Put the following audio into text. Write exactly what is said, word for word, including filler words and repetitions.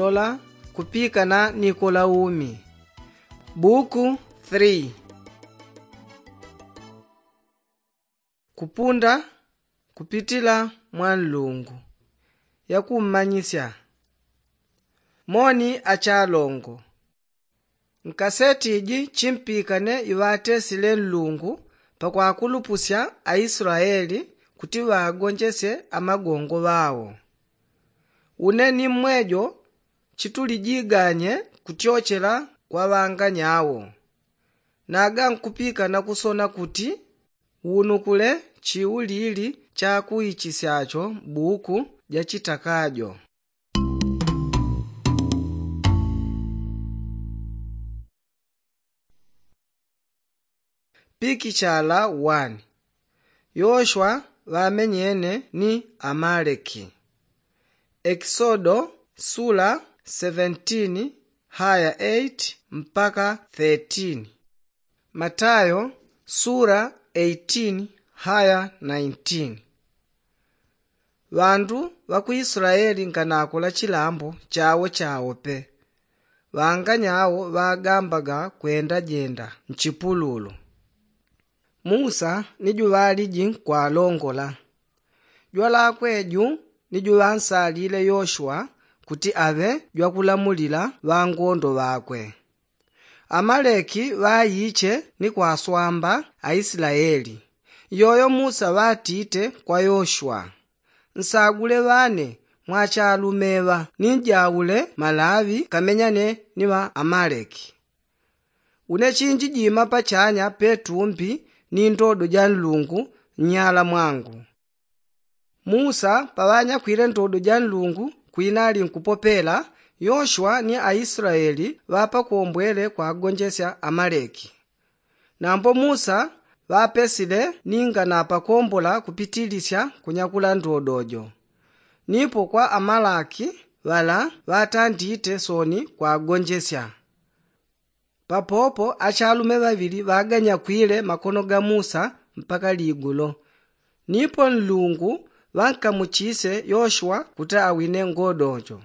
Lola kupikana ni kola umi. Buku three. Kupunda kupitila mwa nlungu. Yakummanyisya. Moni achalongo. Nkaseti iji chimpikane iŵatesile nlungu pakwakulupusya aislaeli kuti ŵagonjesye amagongo ŵao. Une ni mmwejo chitulijiganye kutyochela kwa ŵanganyao. Naga nkupikana kusona kuti wunukule chiulili chakuichisyacho buku jachitakajo. Pikichala one. Yoshwa ŵamenyene ni amaleki. Ekisodo sula seventeen haya eight mpaka thirteen. Matayo sula eighteen haya nineteen. Ŵandu ŵa ku islaeli nganakola chilambo chawo chawo pe. Ŵanganyao ŵagambaga kwendajenda nchipululu. Musa ni juŵaliji nkwalongola. Jwalakwe ju ni juŵansalile yoshua kuti aŵe jwakulamulila ŵangondo ŵakwe. Amaleki ŵaiche ni kwaswamba aislaeli. Iyoyo musa ŵatite kwa yoshua, nsagule ŵane mwa achalume ŵa ninjaule malaŵi kamenyane ni ŵa amaleki. Une chinjijima pachanya petumbi ni ndodo ja nlungu nnyala mwangu. Musa paŵanyakwile ndodo ja nlungu kwinali nkupopela, yoshua ni aislaeli ŵapakombwele kwagonjesya amaleki. Nambo musa ŵapesile ninga napakombola kupitilisya kunyakula ndodo jo. Nipo kwa amalaki ŵala ŵatandite soni kwagonjesya. Papopo achalume ŵaŵili ŵaganyakwile makono ga musa mpaka ligulo. Nipo nlungu ŵankamuchise yoshua kuti awine ngodojo.